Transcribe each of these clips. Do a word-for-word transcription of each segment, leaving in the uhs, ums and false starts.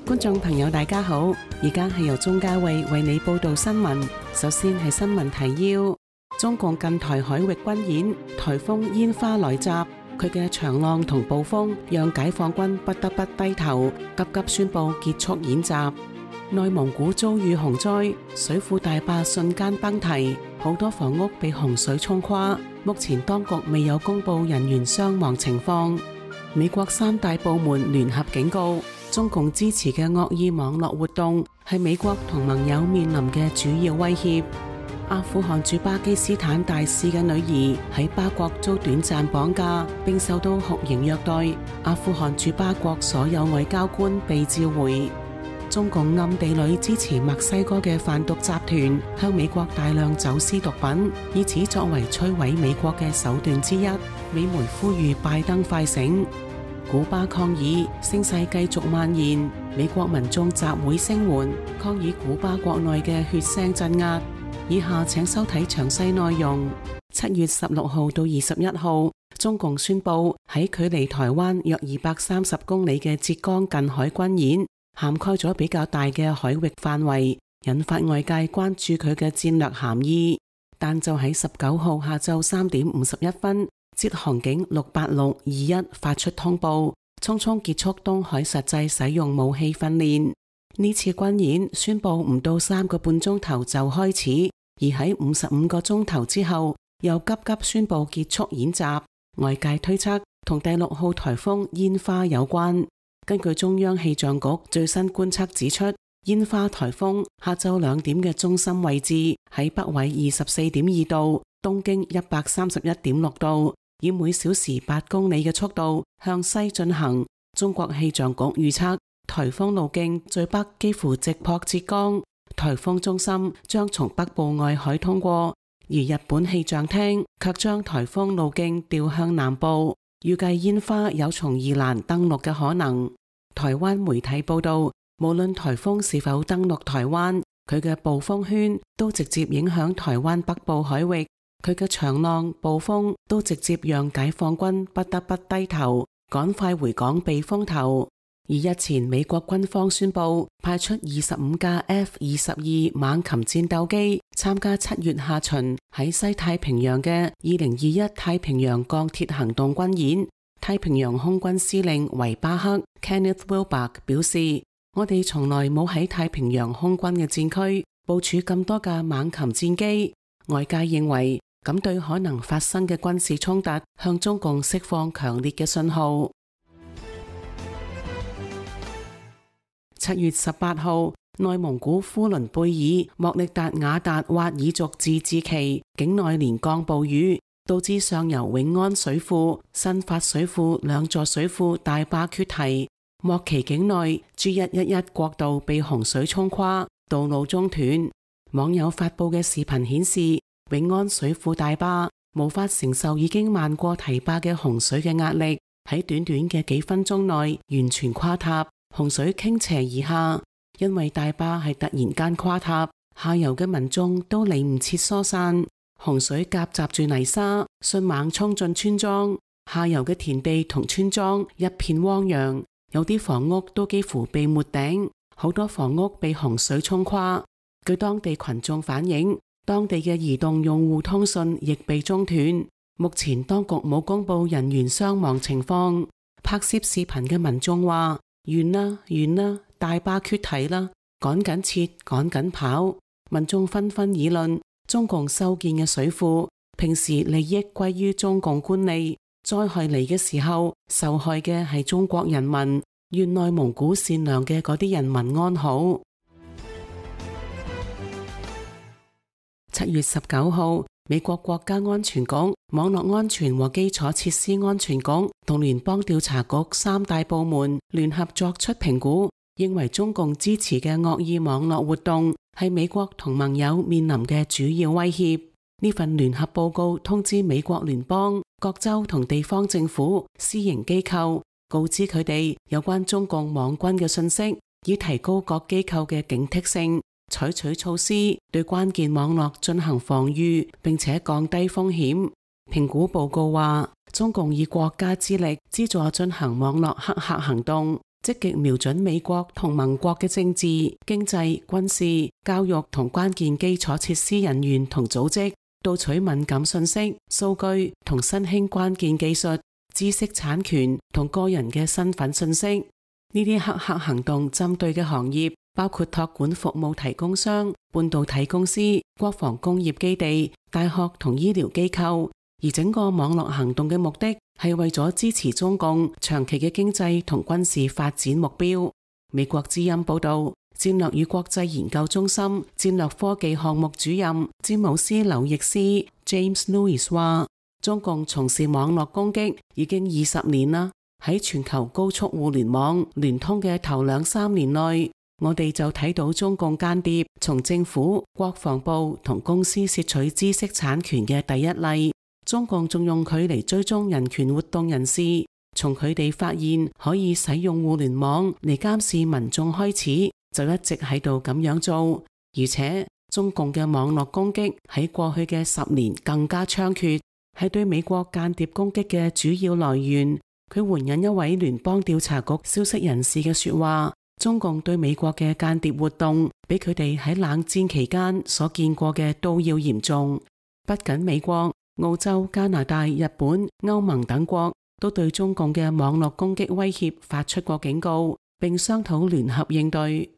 觀眾朋友大家好，而家係由鍾嘉慧為你報道新聞。首先係新聞提要：中共近台海域軍演，颱風煙花來襲，佢嘅長浪同暴風讓解放軍不得不低頭，急急宣布結束演習。內蒙古遭遇洪災，水庫大壩瞬間崩堤，好多房屋被洪水沖垮，目前當局未有公布人員傷亡情況。美國三大部門聯合警告，中共支持嘅惡意網絡活動係美國同盟友面臨嘅主要威脅。阿富汗駐巴基斯坦大使嘅女兒喺巴國遭短暫綁架，並受到酷刑虐待。阿富汗駐巴國所有外交官被召回。中共暗地裏支持墨西哥嘅販毒集團向美國大量走私毒品，以此作為摧毀美國嘅手段之一。美媒呼籲拜登快醒。古巴抗議聲勢繼續蔓延，美國民眾集會聲援，抗議古巴國內嘅血腥鎮壓。以下請收睇詳細內容。七月十六號到二十一號，中共宣布喺距離台灣約二百三十公里嘅浙江近海軍演，涵蓋咗比較大嘅海域範圍，引發外界關注佢嘅戰略含義。但就喺十九號下晝三點五十一分，浙航警六八六二一發出通報，匆匆結束東海實際使用武器訓練。呢次軍演宣布唔到三個半鐘頭就開始，而喺五十五個鐘頭之後又急急宣布結束演習。外界推測同第六號颱風煙花有關。根據中央氣象局最新觀測指出，煙花颱風下晝兩點嘅中心位置喺北緯二十四點二度，東經一百三十一點六度，以每小時八公里嘅速度向西進行。中國氣象局預測，颱風路徑最北幾乎直撲浙江，颱風中心將從北部外海通過，而日本氣象廳卻將颱風路徑調向南部，預計煙花有從宜蘭登陸嘅可能。台灣媒體報道，無論颱風是否登陸台灣，佢嘅暴風圈都直接影響台灣北部海域，佢嘅長浪、暴風都直接讓解放軍不得不低頭，趕快回港避風頭。而日前美國軍方宣布派出二十五架 F 二十二猛禽戰鬥機參加七月下旬喺西太平洋嘅二零二一太平洋鋼鐵行動軍演。太平洋空軍司令維巴克 Kenneth Wilbur 表示，我哋從來冇喺太平洋空軍嘅戰區部署咁多架猛禽戰機。外界認為咁對可能發生嘅軍事衝突向中共釋放強烈嘅信號。七月十八號，內蒙古呼倫貝爾莫力達瓦達斡爾族自治旗境內連降暴雨，導致上游永安水庫、新發水庫兩座水庫大壩決堤，莫旗境內 G 一一一國道被洪水沖垮，道路中斷。網友發布嘅視頻顯示，永安水庫大壩無法承受已經漫過堤壩嘅洪水嘅壓力，喺短短嘅幾分鐘內完全垮塌，洪水傾斜而下。因為大壩係突然間垮塌，下游嘅民眾都嚟唔切疏散。洪水夾雜住泥沙，迅猛衝進村莊，下游嘅田地同村莊一片汪洋，有啲房屋都幾乎被沒頂，好多房屋被洪水沖垮。據當地群眾反映，當地嘅移動用戶通訊亦被中斷。目前當局冇公布人員傷亡情況。拍攝視頻嘅民眾話：完啦，完啦，大壩決堤啦，趕緊撤，趕緊跑。民眾紛紛議論，中共修建嘅水庫，平時利益歸於中共官吏，災害嚟嘅時候，受害嘅係中國人民。願內蒙古善良嘅嗰啲人民安好。七月十九號，美國國家安全局、網絡安全和基礎設施安全局同聯邦調查局三大部門聯合作出評估，認為中共支持嘅惡意網絡活動係美國同盟友面臨嘅主要威脅。呢份聯合報告通知美國聯邦、各州同地方政府、私營機構，告知佢哋有關中共網軍嘅信息，以提高各機構嘅警惕性，採取措施對關鍵網絡進行防禦，並且降低風險。評估報告話，中共以國家之力資助進行網絡黑客行動，積極瞄準美國同盟國嘅政治、經濟、軍事、教育同關鍵基礎設施人員同組織，盜取敏感信息、數據同新興關鍵技術、知識產權同個人嘅身份信息。呢啲黑客行動針對嘅行業包括託管服務提供商、半導體公司、國防工業基地、大學同醫療機構，而整個網絡行動嘅目的係為咗支持中共長期嘅經濟同軍事發展目標。美國之音報道，戰略與國際研究中心戰略科技項目主任詹姆斯劉易斯 James Lewis 話，中共從事網絡攻擊已經二十年啦。喺全球高速互聯網聯通嘅頭兩三年內，我哋就睇到中共間諜從政府、國防部同公司竊取知識產權嘅第一例。中共仲用佢嚟追蹤人權活動人士，從佢哋發現可以使用互聯網嚟監視民眾開始，就一直喺度咁樣做。而且中共嘅網絡攻擊喺過去嘅十年更加猖獗，係對美國間諜攻擊嘅主要來源。佢援引一位聯邦調查局消息人士嘅說話，中共對美國嘅間諜活動比佢哋喺冷戰期間所見過嘅都要嚴重。不僅美國、澳洲、加拿大、日本、歐盟等國都對中共嘅網絡攻擊威脅發出過警告，並商討聯合應對。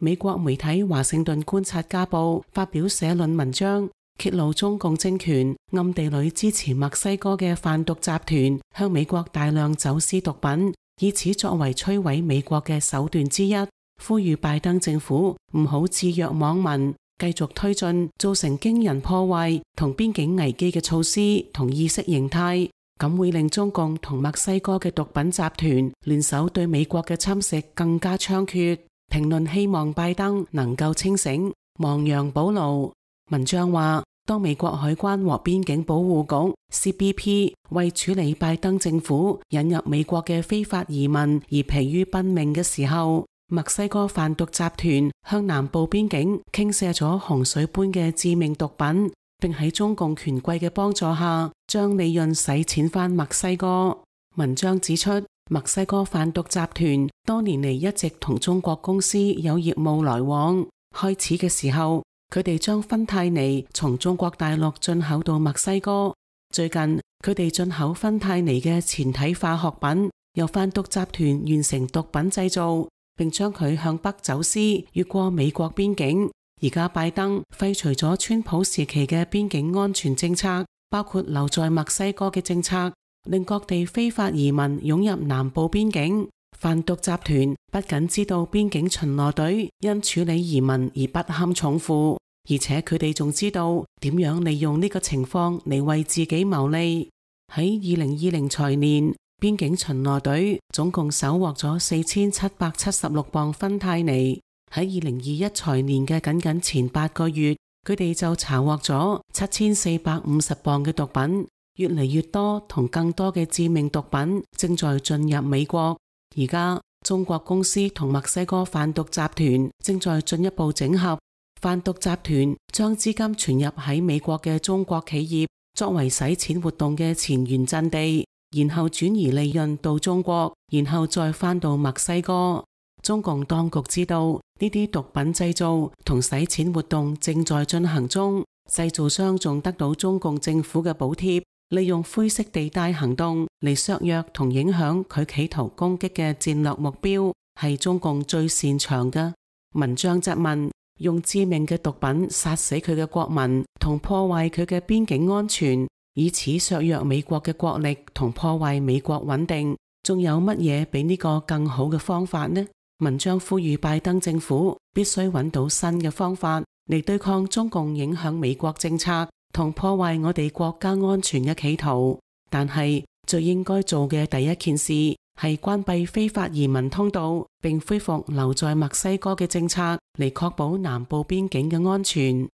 美國媒體華盛頓觀察家報發表社論文章，揭露中共政權暗地裏支持墨西哥嘅販毒集團向美國大量走私毒品，以此作為摧毀美國嘅手段之一，呼籲拜登政府唔好置若罔聞，繼續推進造成驚人破壞同邊境危機嘅措施同意識形態，咁會令中共同墨西哥嘅毒品集團聯手對美國嘅侵蝕更加猖獗。評論希望拜登能夠清醒，亡羊補牢。文章話，當美國海關和邊境保護局 C B P 為處理拜登政府引入美國嘅非法移民而疲於奔命嘅時候，墨西哥販毒集團向南部邊境傾瀉咗洪水般嘅致命毒品，並喺中共權貴嘅幫助下將利潤洗錢返墨西哥。文章指出，墨西哥販毒集團多年嚟一直同中國公司有業務來往。開始嘅時候，佢哋將芬太尼從中國大陸進口到墨西哥。最近，佢哋進口芬太尼嘅前體化學品，由販毒集團完成毒品製造，並將佢向北走私，越過美國邊境。而家拜登廢除咗川普時期嘅邊境安全政策，包括留在墨西哥嘅政策，令各地非法移民湧入南部邊境。販毒集團不僅知道邊境巡邏隊因處理移民而不堪重負，而且佢哋仲知道點樣利用呢個情況嚟為自己牟利。喺二零二零財年，邊境巡邏隊總共搜獲咗四千七百七十六磅芬太尼。喺二零二一財年嘅僅僅前八個月，佢哋就查獲咗七千四百五十磅嘅毒品。越嚟越多同更多嘅致命毒品正在進入美國。而家中國公司同墨西哥販毒集團正在進一步整合，販毒集團將資金存入喺美國嘅中國企業，作為洗錢活動嘅前沿陣地，然後轉移利潤到中國，然後再返到墨西哥。中共當局知道呢啲毒品製造同洗錢活動正在進行中，製造商仲得到中共政府嘅補貼，利用灰色地帶行動嚟削弱同影響佢企圖攻擊嘅戰略目標，係中共最擅長嘅。文章質問，用致命嘅毒品殺死佢嘅國民同破壞佢嘅邊境安全，以此削弱美國嘅國力同破壞美國穩定，仲有乜嘢比呢個更好嘅方法呢？文章呼籲拜登政府必須揾到新嘅方法嚟對抗中共影響美國政策同破壞我哋國家安全嘅企圖，但係最應該做嘅第一件事係關閉非法移民通道，並恢復留在墨西哥嘅政策，嚟確保南部邊境嘅安全。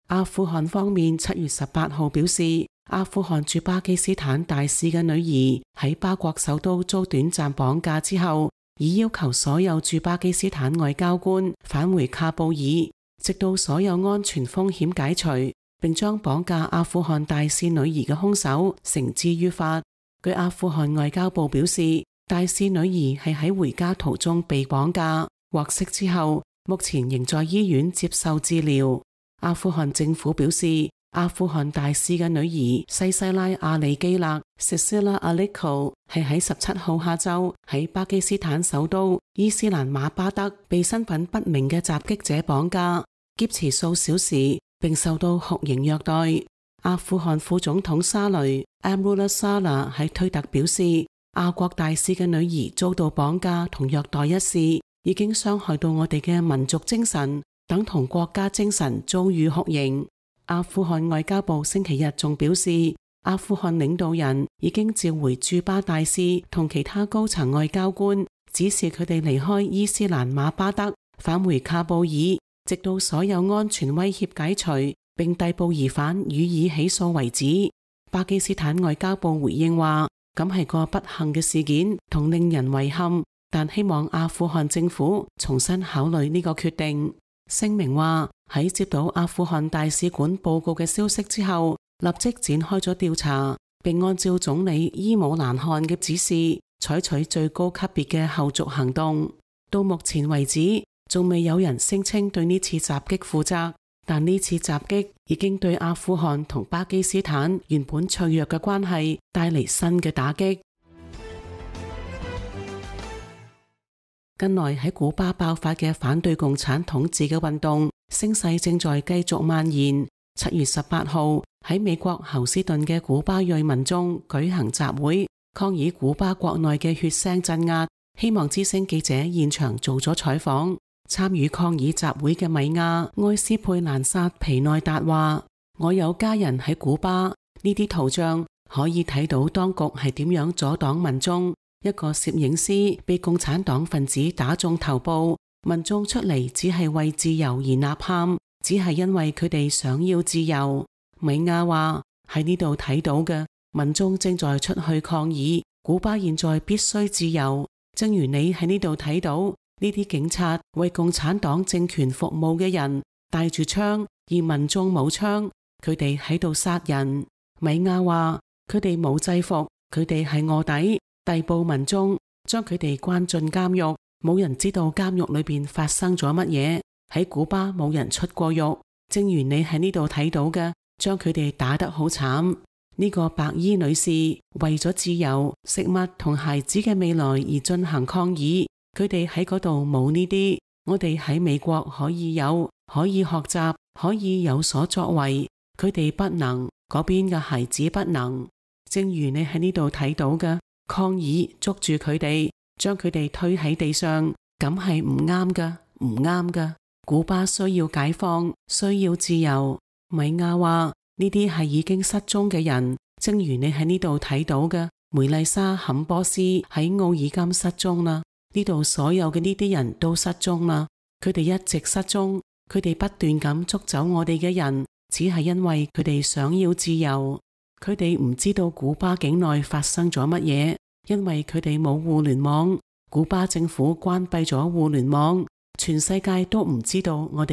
阿富汗方面七月十八號表示，阿富汗駐巴基斯坦大使嘅女兒喺巴國首都遭短暫綁架之後，已要求所有駐巴基斯坦外交官返回喀布爾，直到所有安全風險解除。並將綁架阿富汗大使女兒嘅兇手繩之於法。據阿富汗外交部表示，大使女兒係喺回家途中被綁架，獲釋之後，目前仍在醫院接受治療。阿富汗政府表示，阿富汗大使嘅女兒西西拉·阿里基勒 Cecilia Aliko 係喺十七號下晝喺巴基斯坦首都伊斯蘭馬巴德被身份不明嘅襲擊者綁架，劫持數小時，並受到酷刑虐待。阿富汗副總統沙雷 Amrullah Saleh 喺推特表示，阿國大使嘅女兒遭到綁架同虐待一事，已經傷害到我哋嘅民族精神，等同國家精神遭遇酷刑。阿富汗外交部星期日仲表示，阿富汗領導人已經召回駐巴大使同其他高層外交官，指示佢哋離開伊斯蘭馬巴德，返回喀布爾，直到所有安全威脅解除，並逮捕疑犯予以起訴為止。巴基斯坦外交部回應話，咁係個不幸嘅事件同令人遺憾，但希望阿富汗政府重新考慮呢個決定。聲明話，喺接到阿富汗大使館報告嘅消息之後，立即展開咗調查，並按照總理伊姆蘭汗嘅指示，採取最高級別嘅後續行動。到目前為止，仲未有人聲稱對呢次襲擊負責，但呢次襲擊已經對阿富汗同巴基斯坦原本脆弱嘅關係帶嚟新嘅打擊。近來喺古巴爆發嘅反對共產統治嘅運動聲勢正在繼續蔓延。七月十八號喺美國侯斯頓嘅古巴裔民眾舉行集會，抗議古巴國內嘅血腥鎮壓。希望之聲記者現場做咗採訪。參與抗議集會嘅米亞埃斯佩蘭薩皮內達話：我有家人喺古巴，呢啲圖像可以睇到當局係點樣阻擋民眾。一個攝影師被共產黨分子打中頭部，民眾出嚟只係為自由而吶喊，只係因為佢哋想要自由。米亞話：喺呢度睇到嘅民眾正在出去抗議，古巴現在必須自由。正如你喺呢度睇到呢啲警察為共產黨政權服務嘅人帶住槍，而民眾冇槍，佢哋喺度殺人。米亞話：佢哋冇制服，佢哋係臥底，逮捕民眾，將佢哋關進監獄，冇人知道監獄裏邊發生咗乜嘢。喺古巴冇人出過獄，正如你喺呢度睇到嘅，將佢哋打得好慘。呢個白衣女士為咗自由、食物同孩子嘅未來而進行抗議，佢哋喺嗰度冇呢啲，我哋喺美國可以有，可以學習，可以有所作為，佢哋不能，嗰邊嘅孩子不能。正如你喺呢度睇到嘅，抗議捉住佢哋，將佢哋推喺地上，咁係唔啱㗎，唔啱㗎。古巴需要解放，需要自由。米亞話：呢啲係已經失蹤嘅人，正如你喺呢度睇到嘅，梅麗莎·坎波斯喺奧爾金失蹤啦。呢度所有嘅呢啲人都失蹤啦，佢哋一直失蹤，佢哋不斷咁捉走我哋嘅人，只係因為佢哋想要自由。佢哋唔知道古巴境內發生咗乜嘢，因為佢哋冇互聯網，古巴政府關閉咗互聯網，全世界都唔知道我哋